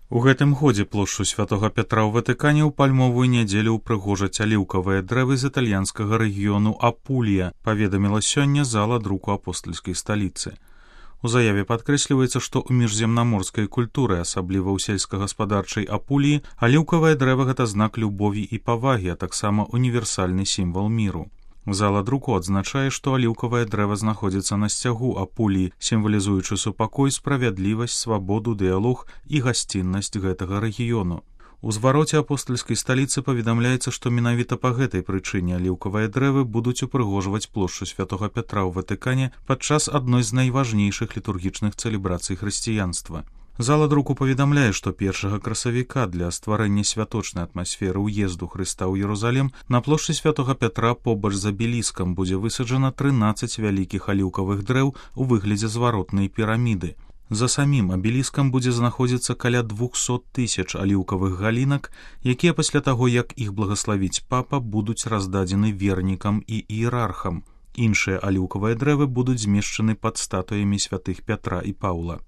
У гэтым годзе плошчу святога Пятра ў Ватыкане ў пальмовую нядзелю ўпрыгожаць аліўкавыя дрэвы з італьянскага рэгіёну Апулія, паведаміла сёння зала друку апостальскай сталіцы. У заяве падкрэсліваецца, што ў міжземнаморскай культуры, асабліва ў сельскагаспадарчай Апуліі, аліўкавае дрэва — гэта знак любові і павагі, а таксама універсальны сімвал міру. Зала друку адзначае, што аліўкавае дрэва знаходзіцца на сцягу Апуліі, сімвалізуючы супакой, справядлівасць, свабоду, дыялог і гасціннасць гэтага рэгіёну. У звароце апостальскай сталіцы паведамляецца, што менавіта па гэтай прычыне аліўкавыя дрэвы будуць упрыгожваць плошчу святога Пятра ў Ватыкане падчас адной з найважнейшых літургічных цэлебрацый хрысціянства. Зала друку паведамляе, што 1 красавіка для стварэння святочнай атмасферы ўезду Хрыста ў Єрусалім на плошчы святога Пятра побач з абеліскам будзе высаджана 13 вялікіх аліўкавых дрэў у выглядзе зваротнай піраміды. За самім абеліскам будзе знаходзіцца каля 200 000 аліўкавых галінак, якія пасля таго, як іх благаславіць папа, будуць раздадзены вернікам і іерархам. Іншыя аліўкавыя дрэвы будуць змешчаны пад статуямі святых Пятра і Паўла.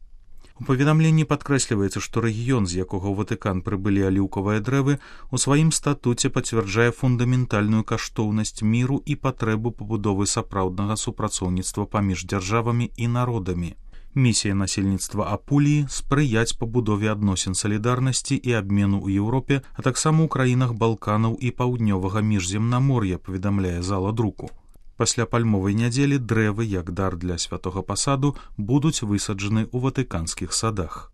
У паведамленні падкрэсліваецца, што рэгіён, з якога ў Ватыкан прыбылі аліўкавыя дрэвы, у сваім статуце пацвярджае фундаментальную каштоўнасць міру і патрэбу пабудовы сапраўднага супрацоўніцтва паміж дзяржавамі і народамі. Місія насельніцтва Апуліі — спрыяць пабудове адносін салідарнасці і абмену ў Еўропе, а таксама ў краінах Балканаў і паўднёвага міжземнамор'я, паведамляе зала друку. Пасля пальмовай нядзелі дрэвы, як дар для святога пасаду, будуць высаджаны ў ватыканскіх садах.